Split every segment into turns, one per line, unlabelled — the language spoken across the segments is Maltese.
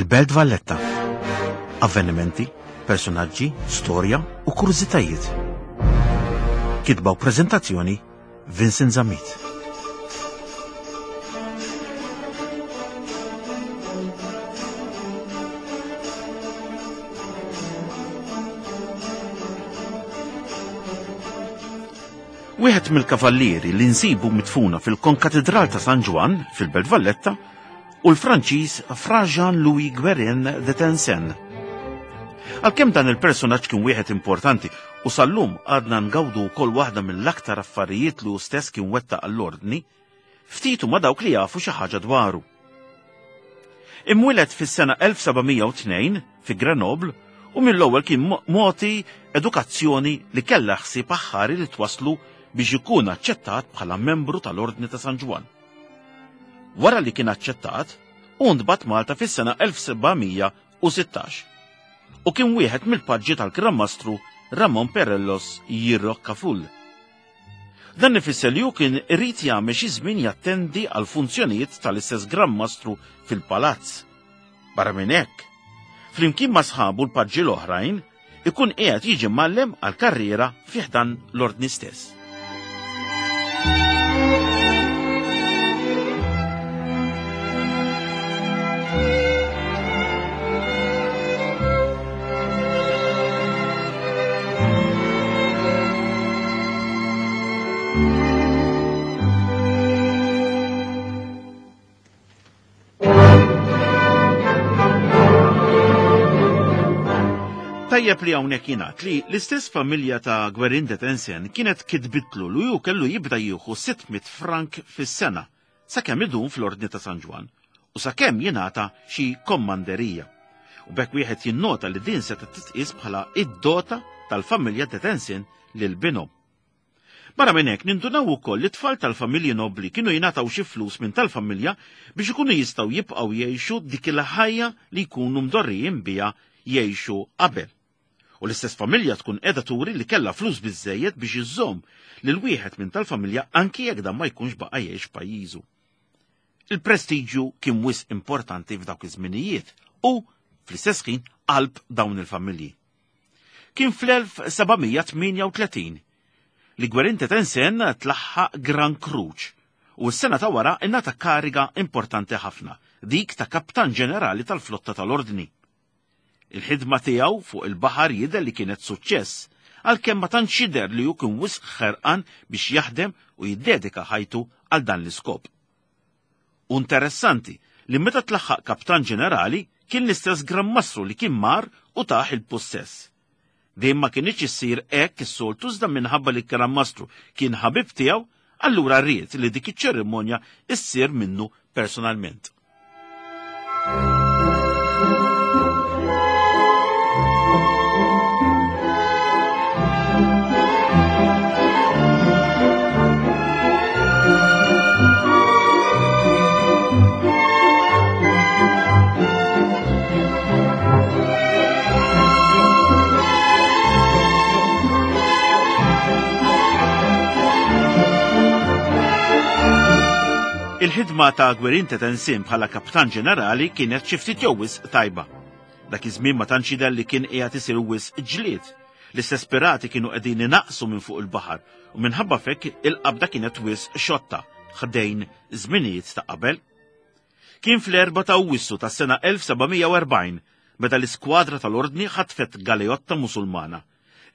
Il-Belt Valletta. Avvenimenti, personaġġi, storja u kurżitajiet. Kitba u preżentazzjoni Vincent Zammit. Wieħed mill-kavallieri li nsibu midfuna fil-Konkatidral ta' San Ġwann fil-Belt Valletta u l-Franċiż Fra Jean-Louis Guérin de Tencin. Għalkemm dan il-personaġġ kien wieħed importanti u sal-lum għadna ngawdu wkoll waħda mill-aktar affarijiet li hu stess kien wettaq għall-ordni, ftit huma dawk li jafu xi ħaġa dwaru. Imwieled fis-sena 1702 fi Grenoble u mill-ewwel kien mogħti edukazzjoni li kellha ħsieb aħħari li twasslu biex ikun aċċettat bħala membru tal-Ordni ta' San Ġwann. Wara li kien aċċettat, hu ntbagħat Malta fis-sena 1716 u kien wieħed mill-paġġi tal-Gran Mastru Ramon Perellos y Rocafull. Dan ifisser li hu kien irid jagħmel xi żmien jattendi għal funzjonijiet tal-istess Gran Mastru fil-palazz. Barra minn hekk, flimkien ma' sħabu l-paġġi l-oħrajn, ikun qiegħed jiġi mgħallem għal karriera fi ħdan l-ordni stess. Tajjeb li hawnhekk jingħad li l-istess familja ta' Gwerin de Tensen kienet kitbitlu li hu kellu jibda jieħu 600 frank fis-sena sakemm idum fl-Ordni ta' San Ġwann u sakemm jingħata xi kommanderija. U b'hekk wieħed jinnota li din setgħet titqies bħala id-dota tal-familja de Tensin lil binhom. Barra minn hekk nindunaw ukoll li tfal tal-familji nobbli kienu jingħataw xi flus minn tal-familja biex ikunu jistgħu jibqgħu jgħixu dik il-ħajja li jkunu mdorrijin biha jgħixu qabel. U l-istess familja tkun qiegħda turi li kellha flus biżżejjed biex iżżomm lil wieħed minn tal-familja anki jekk dan ma jkunx baqa' jgħix f'pajjiżu. Il-prestiġju kien wisq importanti f'dawk iż-żminijiet u, fl-istess ħin, qalb dawn il-familji. Kien fl-1738 li Gwerin Tetensen tlaħħaq Gran Kruċ u s-sena ta' wara ingħata kariga importanti ħafna, dik ta' Kaptan Ġenerali tal-Flotta tal-Ordni. Il-ħidma tiegħu fuq il-baħar jidher li kienet suċċess, għalkemm ma tantx jidher li hu kien wisq ħerqan biex jaħdem u jiddedika ħajtu għal dan l-iskop. U interessanti li meta tlaħħaq Kaptan Ġenerali kien l-istess Gran Mastru li kien mar u tah il-pussess. Din ma kinitx issir hekk is-soltu iżda minħabba li l-Gran Mastru kien ħabib tiegħu, allura ried li dik iċ-ċerimonja issir minnu personalment. Il-ħidma ta' Gwerin Tetensim bħala kaptan ġenerali kienet xi ftit jew wisq tajba. Dak iż-żmien ma tantx jidher li kien qiegħed isir wisq ġlied. L-istess pirati kienu qegħdin inaqqsu minn fuq il-baħar u minħabba f'hekk il-qabda kienet wisq xotta ħdejn żminijiet ta' qabel. Kien fl-4 ta' Awwissu tas-sena 1740 meta l-iskwadra tal-Ordni ħatfet galeotta Musulmana.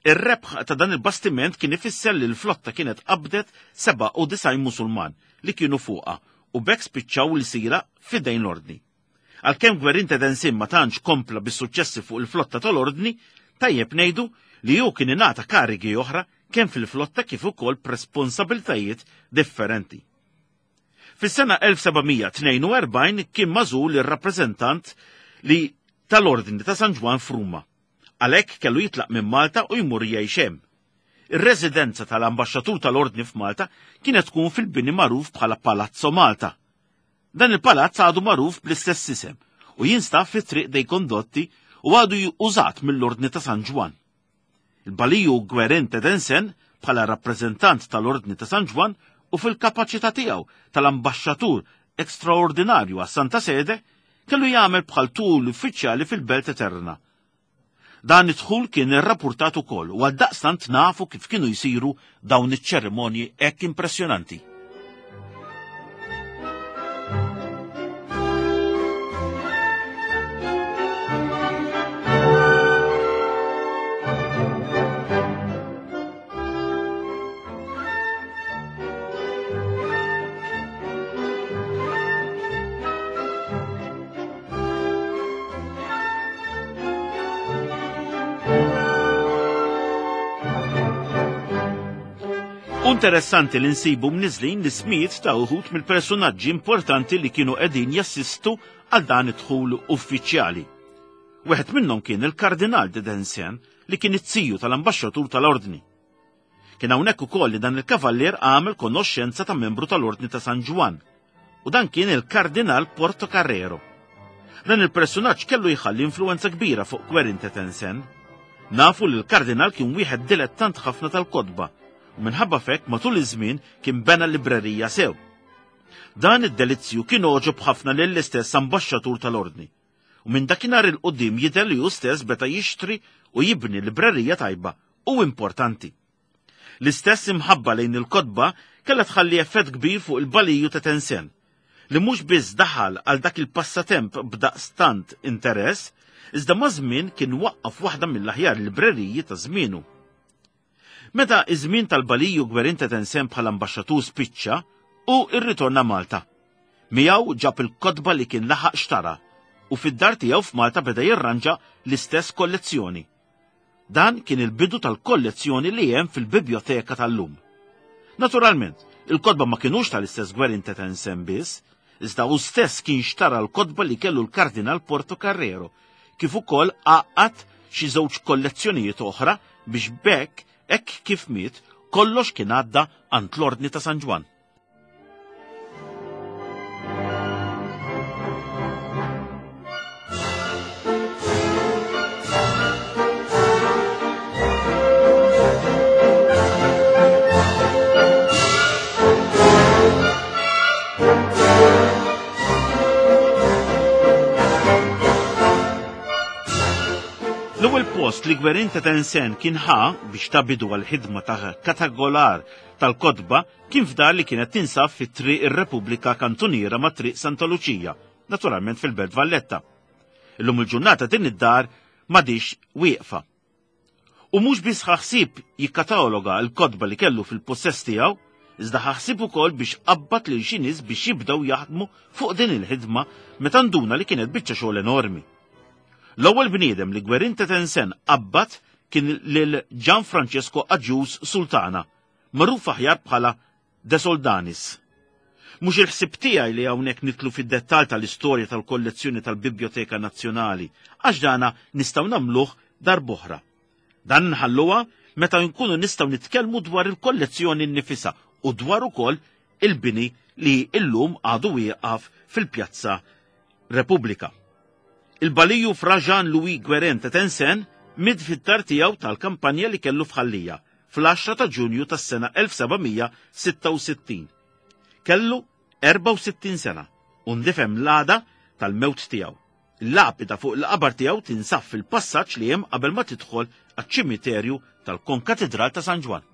Ir-rebħ ta' dan il-bastiment kien ifisser li l-flotta kienet qabdet 97 Musulman li kienu fuqha u b'hekk spiċċaw lsira f'idejn l-Ordni. Għalkemm Gwerin Tedensin ma tantx kompla bis-suċċessi fuq il-flotta tal-Ordni, tajjeb ngħidu li hu kien ingħata karigi oħra kemm fil-flotta kif ukoll b'responsabiltajiet differenti. Fis-sena 1742 kien magħżul ir-rappreżentant li tal-Ordni ta' San Ġwann f'Ruma. Għalhekk kellu jitlaq minn Malta u jmur jgħix hemm. Ir-residenza tal-Ambaxxatur tal-Ordni f'Malta kienet tkun fil-bini magħruf bħala Palazzo Malta. Dan il-palazz għadu magħruf bl-istess isem u jinstab fi Triq dei Condotti u għadu użat mill-Ordni ta' San Ġwann. Il-Baliju Guerin Tedensen bħala rappreżentant tal-Ordni ta' San Ġwann u fil-kapaċità tiegħu tal-ambaxxatur ekstraordinarju għas-Santa Sede kellu jagħmel bħal tul uffiċjali fil-Belt Eterna. Dan id-dħul kien irrappurtat ukoll u għaldaqstant nafu kif kienu jsiru dawn iċ-ċerimonji hekk impressjonanti. Interessanti li nsibu mniżlin l-ismijiet ta' uħud mill-personaġġi importanti li kienu qegħdin jassistu għal dan id-dħul uffiċjali. Wieħed minnhom kien il-Kardinal de Densen li kien it-tiju tal-ambaxxatur tal-Ordni. Kien hawnhekk ukoll li dan il-kavallier għamel konoxxenza ta' membru tal-Ordni ta' San Ġwann, u dan kien il-Kardinal Portocarrero. Dan il-personaġġ kellu jħalli influenza kbira fuq Querin Tetensen. Nafu li l-Kardinal kien wieħed dilettant ħafna tal-kotba u minħabba f'hekk matul iż-żmien kien bena librerija sew. Dan id-delizzju kien għoġob ħafna lill-istess ambaxxatur tal-Ordni. U minn dakinhar 'il quddiem jidher li hu stess beda jixtri u jibni librerija tajba u importanti. L-istess imħabba lejn il-kotba kellha tħalli effett kbir fuq il-baliju ta' Tensen, li mhux biss daħal għal dak il-passatemp b'daqstant interess, iżda maż-żmien kien waqqaf waħda mill-aħjar libreriji ta' żmienu. Meta iż-żmien tal-Baliju Gwerin ta' Tensen bħala ambaxxatur spiċċa, hu rritorna Malta. Miegħu ġab il-kotba li kien laħaq xtara u fid-dar tiegħu f'Malta beda jirranġa l-istess kollezzjoni. Dan kien il-bidu tal-kollezzjoni li hemm fil-bibjoteka tal-lum. Naturalment, il-kotba ma kinux tal-istess Gwerin ta' Tensen biss, iżda hu stess kien xtara l-kotba li kellu l-Kardinal Portocarrero kif ukoll għaqqad xi żewġ kollezzjonijiet oħra biex b'hekk hekk kif miet kollox kien għadda għand l-Ordni ta' San Ġwann. L-ewwel post li Gwerin ta' Tensen kien ħa biex ta' bidu għall-ħidma ta' katagolar tal-kotba kien f'dar li kienet tinsab fi Triq ir-Repubblika Kantuniera ma' Triq Santa Luċija, naturalment fil-Belt Valletta. Illum il-ġurnata din id-dar m'għadhiex wieqfa. U mhux biss ħa ħsieb jikkataloga l-kotba li kellu fil-pussess tiegħu, iżda ħa ħsieb ukoll biex qabbad lil xi nies biex jibdew jaħdmu fuq din il-ħidma meta nduna li kienet biċċa xogħol enormi. L-ewwel bniedem li Gwerin Tetensen qabbad kien lil Gian Francesco Agius Sultana, magħruf aħjar bħala De Soldanis. Mhux il-ħsieb tiegħi li hawnhekk nidħlu fid-dettall tal-istorja tal-kollezzjoni tal-Bibjoteka Nazzjonali, għax dana nistgħu nagħmluh darb'oħra. Dan nħalluha meta nkunu nistgħu nitkellmu dwar il-kollezzjoni nnifisha u dwar ukoll il-bini li illum għadu wieqaf fil-Pjazza Repubblika. Il-Baliju Fra Jean Louis Guérin ta' Tensen miet fid-dar tiegħu tal-kampanja li kellu f'Ħal Lija fl-10 ta' Ġunju tas-sena 1766. Kellu 64 sena u ndifem l-għada tal-mewt tiegħu. Il-lapida fuq il-qabar tiegħu tinsab fil-passaġġ li hemm qabel ma tidħol għaċ-ċimiterju tal-Konkatidral ta' San Ġwann.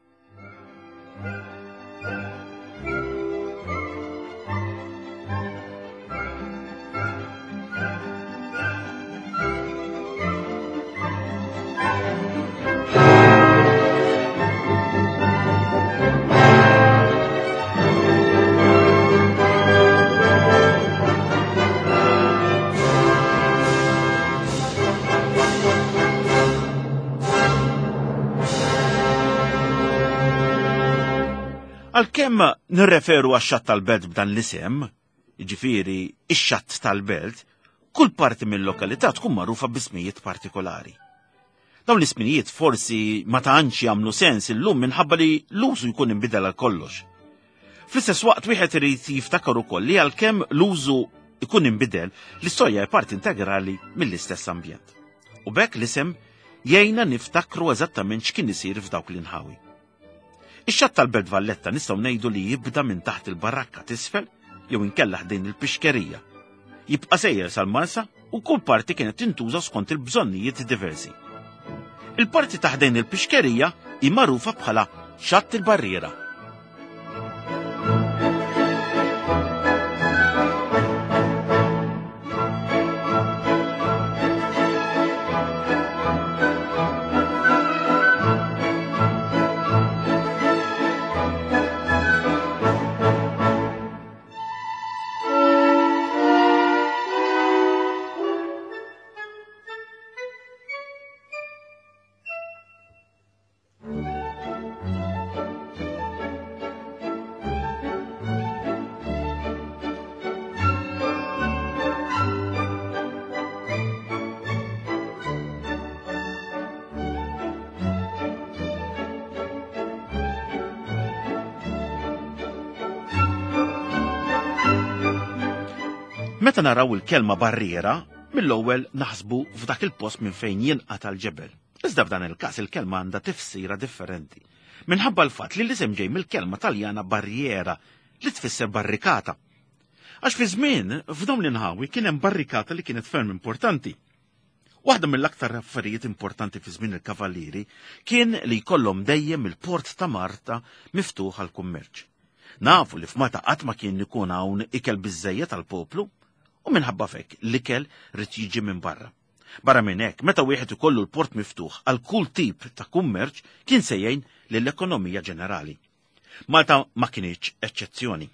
Għalkemm nirreferu għax-xatt tal-belt b'dan l-isem, jiġifieri ix-xatt tal-belt, kull parti mill-lokalità tkun magħrufa b'ismijiet partikolari. Dawn l-ismijiet forsi ma tantx jagħmlu sens illum minħabba li l-użu jkun inbidel għal kollox. Fl-istess waqt wieħed irid jiftakar ukoll li għalkemm l-użu jkun inbidel, l-istorja hija parti integrali mill-istess ambjent. U b'hekk l-isem jgħinna niftakru eżattament x'kien isir f'dawk l-inħawi. Ix-xatt tal-Belt Valletta nistgħu ngħidu li jibda minn taħt il-barrakka t'isfel jew inkella ħdejn il-pixkerija. Jibqa' sejjer sal-Marsa u kull parti kienet tintuża skont il-bżonnijiet diversi. Il-parti ta' ħdejn il-pixkerija hi magħrufa bħala Xatt il-Barriera. Meta naraw il-kelma barriera, mill-ewwel naħsbu f'dak il-post minn fejn jinqata' l-ġebel. Iżda f'dan il-każ il-kelma għandha tifsira differenti. Minħabba l-fatt li l-isem ġej mill-kelma Taljana barriera li tfisser barrikata. Għax fi żmien f'dawn l-inħawi kien hemm barrikata li kienet ferm importanti. Waħda mill-aktar affarijiet importanti fi żmien il-Kavallieri kien li jkollhom dejjem il-port ta' Marta miftuħ għall-kummerċ. Nafu li f'Malta qatt ma kien ikun hawn ikel biżżejjed għall-poplu u minħabba f'hekk l-ikel ried jiġi minn barra. Barra minn hekk, meta wieħed ikollu l-port miftuħ għal kull tip ta' kummerċ kien se jgħin lill-ekonomija ġenerali. Malta ma kinitx eċċezzjoni.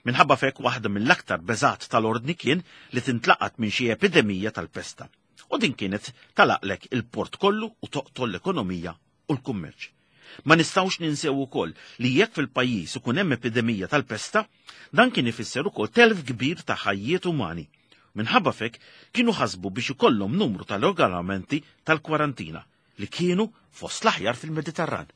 Minħabba f'hekk waħda mill-aktar beżgħat tal-Ordni kien li tintlaqat minn xi epidemija tal-pesta. U din kienet talaqlek il-port kollu u toqtol l-ekonomija u l-kummerċ. Ma nistgħux ninsew ukoll li jekk fil-pajjiż ikun hemm epidemija tal-pesta, dan kien ifisser ukoll telf kbir ta' ħajjiet umani. Minħabba f'hekk kienu ħasbu biex ikollhom numru ta' regolamenti tal-kwarantina li kienu fost l-aħjar fil-Mediterran.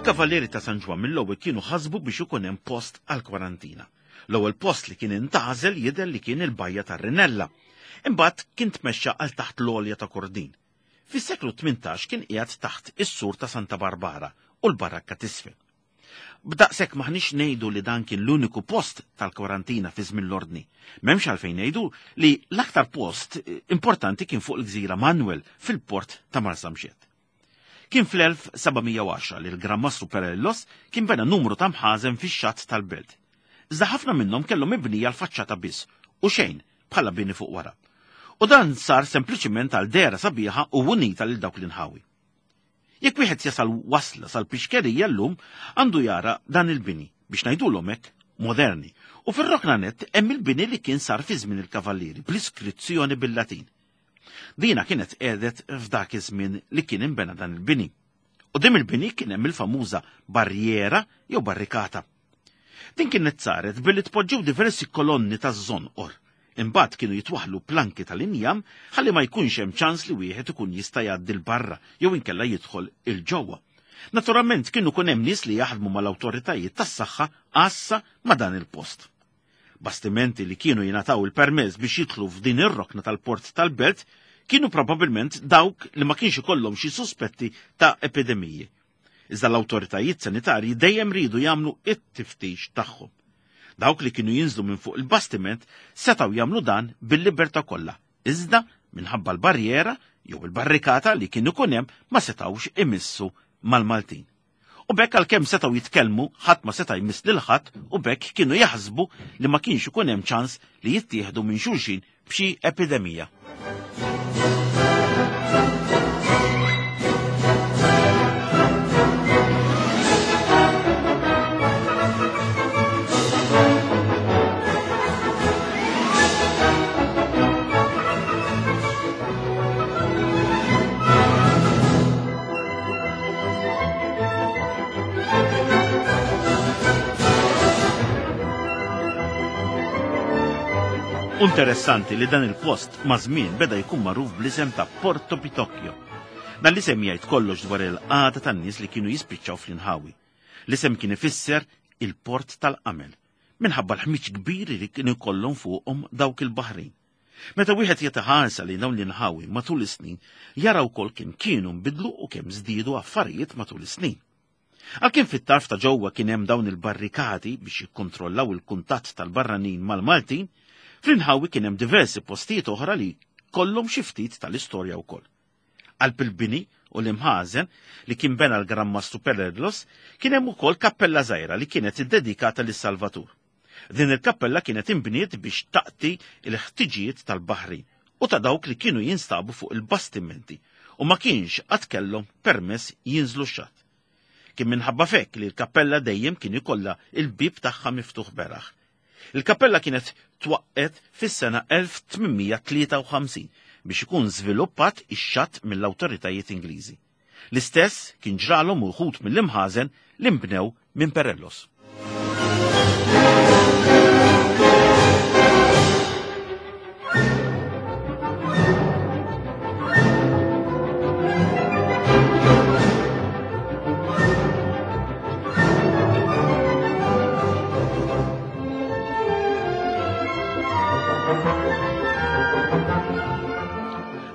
Il-Kavallieri ta' San Ġwann mill-ewwel kienu ħasbu biex ikun hemm post għall-kwarantina. L-ewwel post li kien intgħażel jidher li kien il-bajja tar-Rinella. Imbagħad kien tmexxa għal taħt l-għolja ta' Kordin. Fis-seklu 18 kien qiegħed taħt is-sur ta' Santa Barbara u l-Barakka t'isfel. B'daqshekk m'aħniex ngħidu li dan kien l-uniku post tal-kwarantina fi żmien l-Ordni. M'hemmx għalfejn ngħidu li l-aktar post importanti kien fuq il-gżira Manuel fil-port ta' Marsamxett. Kien fl-1710 li l-Gran Mastru Perellos kien bena numru ta' mħażen fix-xatt tal-belt. Iżda ħafna minnhom kellhom mibnija l-faċċata biss u xejn bħala bini fuq wara. U dan sar sempliċiment għal dehra sabiħa u unita lil dawk l-inħawi. Jekk wieħed jasal wasla sal-pixkerija llum għandu jara dan il-bini, biex ngħidulhom hekk, moderni. U fir-rokna nett hemm il-bini li kien sar fi żmien il-Kavallieri bl-iskrizzjoni bil-Latin. Dina kienet qiegħdet f'dak iż-żmien li kien inbena dan il-bini. Quddiem il-bini kien hemm il-famuża barriera jew barrikata. Din kienet saret billi tpoġġew diversi kolonni taż-żonqor. Imbagħad kienu jitwaħħlu planki tal-injam ħalli ma jkunx hemm ċans li wieħed ikun jista' jgħaddi 'l barra jew inkella jidħol 'il ġewwa. Naturalment kienu jkun hemm nies li jaħdmu mal-awtoritajiet tas-saħħa għassa ma' dan il-post. Bastimenti li kienu jingħataw il-permess biex jidħlu f'din ir-rokna tal-port tal-belt kienu probabbilment dawk li ma kienx ikollhom xi suspetti ta' epidemiji. Iżda l-awtoritajiet sanitarji dejjem riedu jagħmlu it-tiftix tagħhom. Dawk li kienu jinżlu minn fuq il-bastiment setgħu jagħmlu dan bil-libertà kollha, iżda minħabba l-barriera jew il-barrikata li kien ikun hemm ma setgħux imissu mal-Maltin. U b'hekk għalkemm setgħu jitkellmu, ħadd ma seta' jmiss lil ħadd u b'hekk kienu jaħsbu li ma kienx ikun hemm ċans li jittieħdu minn xulxin b'xi epidemija. Interessanti li dan il-post ma' żmien beda jkun magħruf bl-isem ta' Porto Pitocchio. Dan l-isem jgħid kollox dwar il-qagħda tan-nies li kienu jispiċċaw fl-inħawi. L-isem kien ifisser il-port tal-qamel, minħabba l-ħmiġ kbir li kien ikollhom fuqhom dawk il-baħrin. Meta wieħed jagħti ħarsa lejn dawn l-inħawi matul is-snin, jara wkoll kemm kienu nbidlu u kemm żdiedu affarijiet matul is-snin. Għalkemm fit-tarf ta' ġewwa kien hemm dawn il-barrikati biex jikkontrollaw il-kuntatt tal-barranin mal-Maltin, fl-inħawi kien hemm diversi postijiet oħra li kollhom xi ftit tal-istorja wkoll. Qalb il-bini u l-imħażen li kien bena l-Gran Mastru Perellos kien hemm ukoll kappella żgħira li kienet iddedikata lis-Salvatur. Din il-kappella kienet inbniet biex taqti l-ħtiġijiet tal-baħrin u ta' dawk li kienu jinstabu fuq il-bastimenti u ma kienx għad kellhom permess jinżlu x-xatt. Kien minħabba f'hekk li l-kappella dejjem kien ikollha l-bieb tagħha miftuħ beraħ. Il-kappella kienet twaqqgħet fis-sena 1853 biex ikun żviluppat ix-xatt mill-awtoritajiet Ingliżi. L-istess kien ġralhom uħud mill-imħażen li nbnew minn Perellos.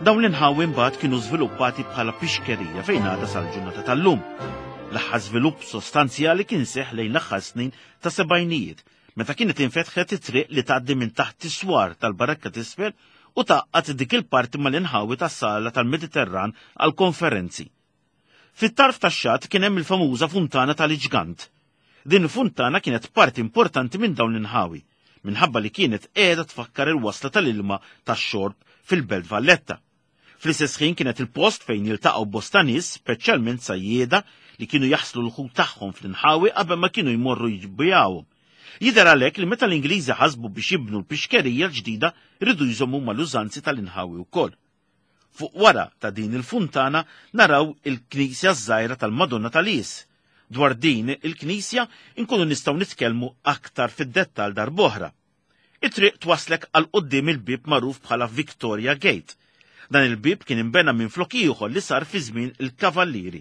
Dawn l-inħawi mbagħad kienu żviluppati bħala pixkerija fejn għadha sal-ġurnata tal-lum. L-aħħar żvilupp sostanzjali kien seħħ lejn l-aħħar snin ta' sebgħinijiet, meta kienet infetħet it-triq li tgħaddi minn taħt is-swar tal-Barakka t'Isfel u tgħaqqad dik il-parti mal-inħawi tas-Sala tal-Mediterran għall-konferenzi. Fit-tarf tax-xatt kien hemm il-famuża funtana tal-Iġgant. Din il-funtana kienet parti importanti minn dawn l-inħawi, minħabba li kienet qiegħda tfakkar il-wasla tal-ilma tax-xorb fil-Belt Valletta. Fl-istess ħin kienet il-post fejn jiltaqgħu bosta nies, speċjalment sajjieda li kienu jaħslu l-ħut tagħhom fl-inħawi qabel ma kienu jmorru jbigħuhom. Jidher għalhekk li meta l-Ingliżi ħasbu biex jibnu l-pixkerija l-ġdida riedu jżommu mal-użanzi tal-inħawi wkoll. Fuq wara ta' din il-funtana naraw il-knisja ż-żgħira tal-Madonna tal-Qies. Dwar din il-knisja nkunu nistgħu nitkellmu aktar fid-dettall darb'oħra. It-triq twasslek għal quddiem il-bieb magħruf bħala Victoria Gate. Dan il-bieb kien inbena minflok ieħor li sar fi żmien il-Kavallieri.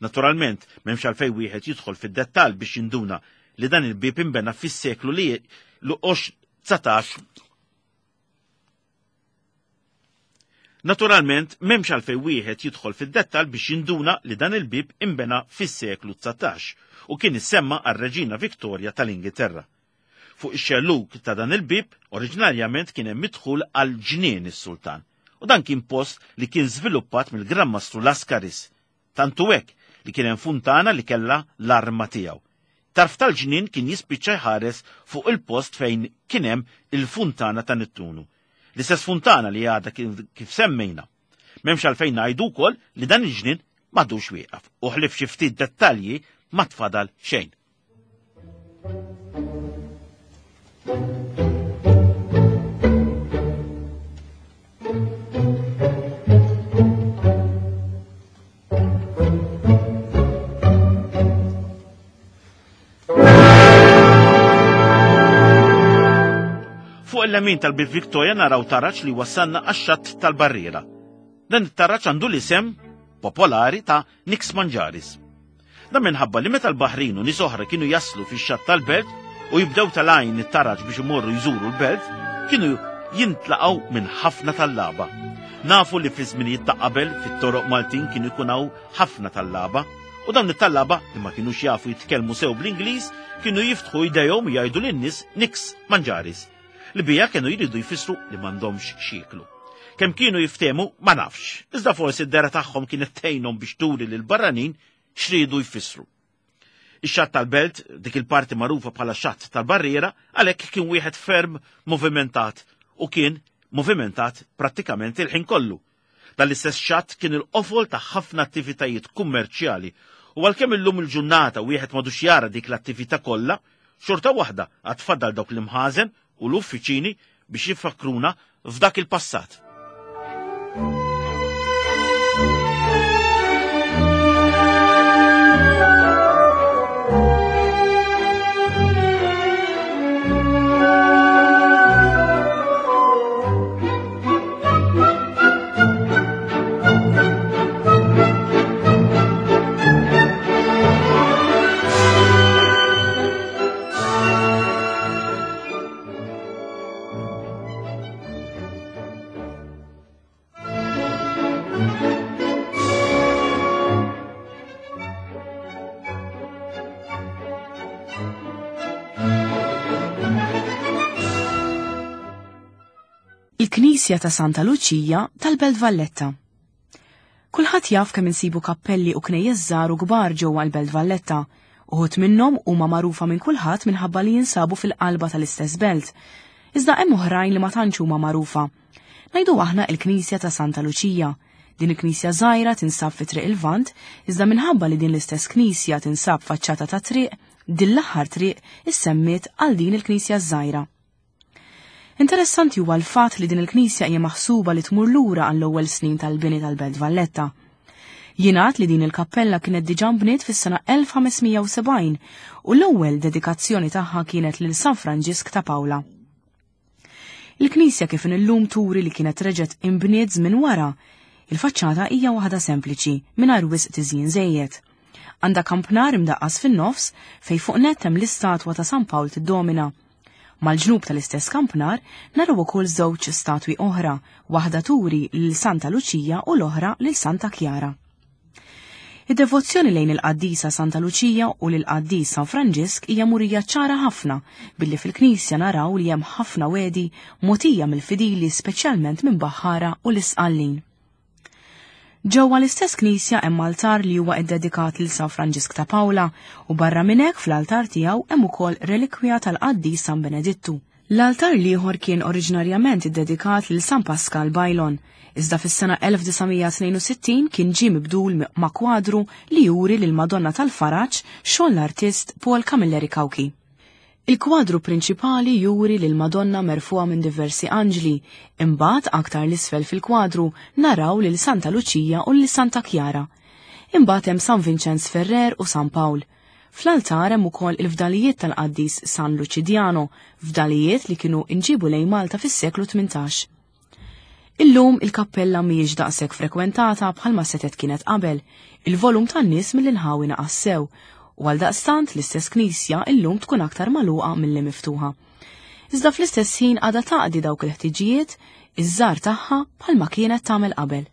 Naturalment, m'hemmx għalfejn wieħed jidħol fid-dettall biex jinduna li dan il-bieb inbena fis-seklu li l-19 Naturalment, m'hemmx għalfejn wieħed jidħol fid-dettall biex jinduna li dan il-bieb inbena fis-seklu 19 u kien issemma għar-Reġina Victoria tal-Ingilterra. Fuq ix-xellug ta' dan il-bieb, oriġinarjament kien hemm id-dħul għal Ġnien is-Sultan, u dan kien post li kien żviluppat mill-Gran Mastru Lascaris. Tant hu hekk li kien hemm funtana li kellha l-arma tiegħu. Tarf tal-ġnien kien jispiċċa jħares fuq il-post fejn kien hemm il-funtana ta' Nittunu. L-istess funtana li għadha kif semmejna. M'hemmx għalfejn ngħidu wkoll li dan il-ġnien m'għadux wieqaf u ħlief xi ftit dettalji ma tfadal xejn. Fuq il-lemin tal-Bib Victoria naraw taraġ li wassalna għax-xatt tal-barriera. Dan it-taraġ għandu l-isem popolari ta' Nix Manġaris. Dan minħabba li meta l-baħrin u nies oħra kienu jaslu fix-xatt tal-belt u jibdew telgħin it-taraġ biex imorru jżuru l-belt, kienu jintlaqgħu minn ħafna tallaba. Nafu li fi żminijiet ta' qabel fit-toroq Maltin kienu jkun hawn ħafna tallaba u dawn it-tallaba li ma kinux jafu jitkellmu sew bl-Ingliż kienu jiftħu jdejhom u jgħidu lin-nies niks manġaris li biha kienu jridu jfissru li m'għandhomx x'jieklu. Kemm kienu jiftehmu ma nafx, iżda forsi d-dehra tagħhom kienet tgħinhom biex turi lill-barranin x'riedu jfissru. Ix-xatt tal-belt, dik il-parti magħrufa bħala xatt tal-barriera, għalhekk kien wieħed ferm movimentat u kien movimentat prattikament il-ħin kollu. Dan l-istess xatt kien il-qofol ta' ħafna attivitajiet kummerċjali u għalkemm illum il-ġurnata wieħed m'għadux jara dik l-attività kollha, xorta waħda għad fadal dawk l-imħażen u l-uffiċini biex jifakkruna f'dak il-passat.
Il-Knisja ta' Santa Luċija tal-Belt Valletta. Kulħadd jaf kemm insibu kappelli u knejjes żgħar u kbar ġewwa l-Belt Valletta. Uħud minnhom huma magħrufa minn kulħadd minħabba li jinsabu fil-qalba tal-istess belt. Iżda hemm oħrajn li ma tantx huma magħrufa. Ngħidu aħna il-Knisja ta' Santa Luċija. Din il-knisja żgħira tinsab fi Triq il-Lvant, iżda minħabba li din l-istess knisja tinsab faċċata ta' triq, din l-aħħar triq issemmiet għal din il-knisja żgħira. Interessanti huwa l-fatt li din il-knisja hija maħsuba li tmur lura għall-ewwel snin tal-bini tal-Belt Valletta. Jingħad li din il-kappella kienet diġà nbniet fis-sena 1570 u l-ewwel dedikazzjoni tagħha kienet lil San Franġisk ta' Pawla. Il-knisja kif illum turi li kienet reġgħet inbniet żmien wara. Il-faċċata hija waħda sempliċi, mingħajr wisq tiżjin żejjed. Għandha kampnar imdaqqas fin-nofs fejn fuq nett hemm l-istatwa ta' San Pawl tiddomina. Mal-ġnub tal-istess kampnar naraw ukoll żewġ statwi oħra, waħda turi lil Santa Luċija u l-oħra lil Santa Kjara. Id-devozzjoni lejn il-qaddisa Santa Luċija u lill-qaddis San Franġisk hija murija ċara ħafna billi fil-knisja naraw li hemm ħafna wegħdi mogħtija mill-fidili speċjalment minn baħħara u l-Isqallin. Ġewwa l-istess knisja hemm altar li huwa ddedikat lil San Franġisk ta' Pawla u barra minn hekk fl-altar tiegħu hemm ukoll relikwija tal-qaddis San Benedittu. L-altar l-ieħor kien oriġinarjament iddedikat lil San Paskal Baylon, iżda fis-sena 1962 kien ġie mibdul ma' kwadru li juri lill-Madonna tal-Faraġ xogħol l-artist Paul Camilleri Cauchi. Il-kwadru prinċipali juri lill-Madonna merfugħa minn diversi anġli, imbagħad aktar 'l isfel fil-kwadru naraw lil Santa Luċija u lil Santa Kjara. Imbagħad hemm San Vinċenz Ferrer u San Pawl. Fl-altar hemm ukoll il-fdalijiet tal-qaddis San Luċidjano, fdalijiet li kienu nġiebu lejn Malta fis-seklu 18. Illum il-kappella mhijiex daqshekk frekwentata bħalma setgħet kienet qabel, il-volum tan-nies mill-inħawi naqas sew, u għaldaqstant l-istess knisja illum tkun aktar magħluqa milli miftuħa. Iżda fl-istess ħin għadha taqdi dawk il-ħtiġijiet iż-żgħar tagħha bħalma kienet tagħmel qabel.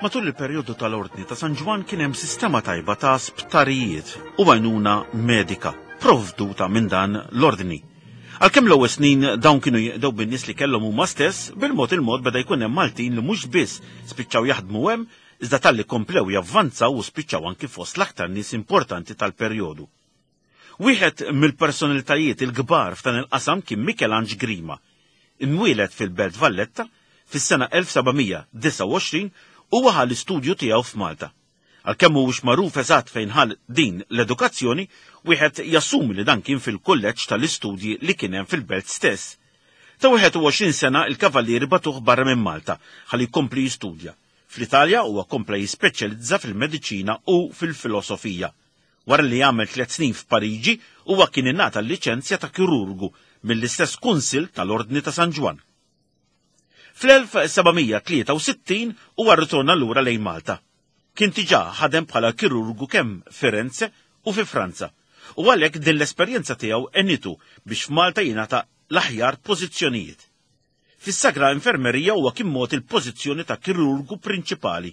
Matul il-perjodu tal-Ordni ta' San Ġwann kien hemm sistema tajba ta' sptarijiet u għajnuna medika provduta minn dan l-ordni. Għalkemm l-ewwel snin dawn kienu jinqdew bin-nies li kellhom huma stess, bil-mod il-mod beda jkun hemm Maltin li mhux biss spiċċaw jaħdmu hemm, iżda talli komplew javvanzaw u spiċċaw anki fost l-aktar nies importanti tal-perjodu. Wieħed mill-personalitajiet il-kbar f'dan il-qasam kien Mikelanġ Grima. Imwieled fil-Belt Valletta fis-sena 1729, huwa ħa l-istudju tiegħu f'Malta. Għalkemm mhuwiex magħruf eżatt fejn ħa din l-edukazzjoni, wieħed jassumi li dan kien fil-kulleġġ tal-istudji li kien hemm fil-belt stess. Ta' 21 sena il-Kavallieri bagħtuh barra minn Malta ħalli jkompli jistudja. Fl-Italja huwa kompla jispeċjalizza fil-mediċina u fil-filosofija. Wara li għamel tliet snin f'Pariġi, huwa kien ingħata l-liċenzja ta' kirurgu mill-istess Kunsill tal-Ordni ta' San Ġwann. Fl-1763 huwa rritorna lura lejn Malta. Kien diġà ħadem bħala kirurgu kemm Firenze u fi Franza, u għalhekk din l-esperjenza tiegħu għenitu biex f'Malta jingħata l-aħjar pożizzjonijiet. Fis-Sagra Infermerija huwa kien mogħti l-pożizzjoni ta' kirurgu prinċipali.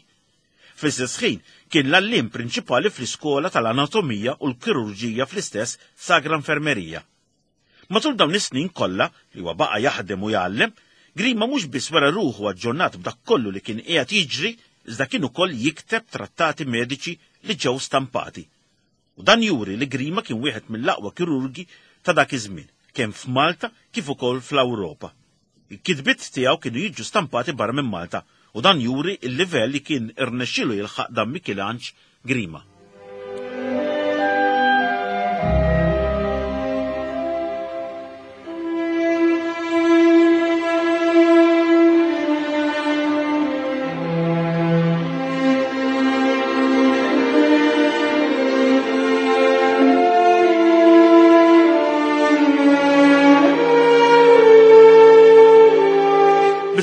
Fl-istess ħin, kien l-għalliem prinċipali fl-iskola tal-anatomija u l-kirurġija fl-istess Sagra Infermerija. Matul dawn is-snin kollha li huwa baqa' jaħdem u jgħallem, Grima mhux biss wera ruħu aġġornat b'dak kollu li kien qiegħed jiġri, iżda kien ukoll jikteb trattati mediċi li ġew stampati. U dan juri li Grima kien wieħed mill-aqwa kirurgi ta' dak iż-żmien, kemm f'Malta kif ukoll fl-Ewropa. Il-kitbiet tiegħu kienu jiġu stampati barra minn Malta u dan juri l-livell li kien irnexxielu jilħaq dan Mikilanġ Grima.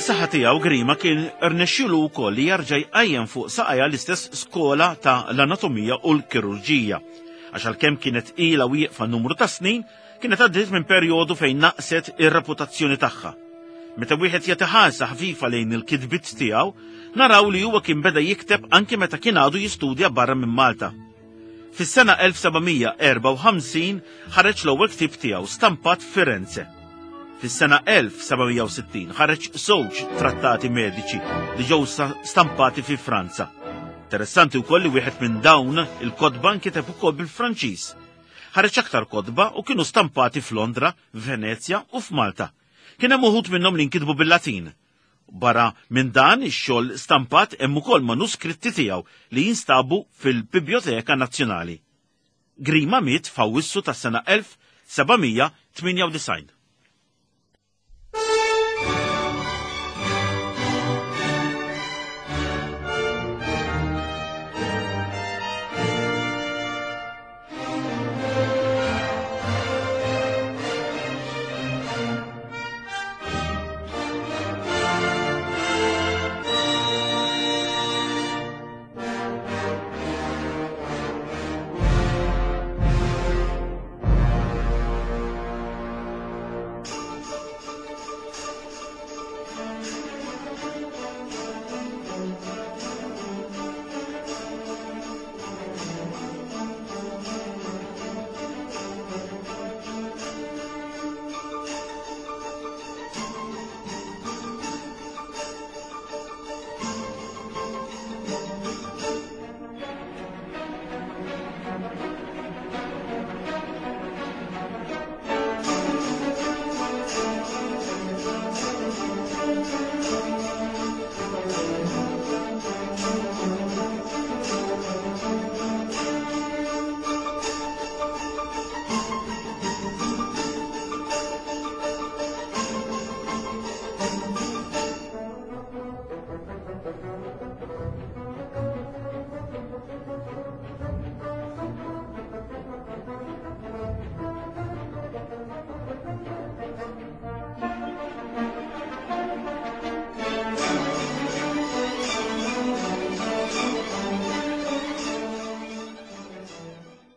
Bis-saħħa tiegħu Grima kien rnexxielu wkoll li jerġa' jqajjem fuq saqajha l-istess skola ta' l-anatomija u l-kirurġija. Għax għalkemm kienet ilha wieqfa numru ta' snin, kienet għaddiet minn perjodu fejn naqset ir-reputazzjoni tagħha. Meta wieħed jagħti ħarsa ħfifa lejn il-kitbiet tiegħu, naraw li huwa kien beda jikteb anki meta kien għadu jistudja barra minn Malta. Fis-sena 1754 ħareġ l-ewwel ktieb tiegħu stampat f'Firenze. Fis-sena 1760 ħareġ żewġ trattati mediċi li ġew stampati fi Franza. Interessanti wkoll li wieħed minn dawn il-kotba nkiteb ukoll bil-Franċiż. Ħareġ aktar kotba u kienu stampati f'Londra, Venezja u f'Malta. Kien hemm uħud minnhom li nkitbu bil-Latin. Barra minn dan ix-xogħol stampat hemm ukoll manuskritti tiegħu li jinstabu fil-Bibljoteka Nazzjonali. Grima miet f'Awwissu tas-sena 1798.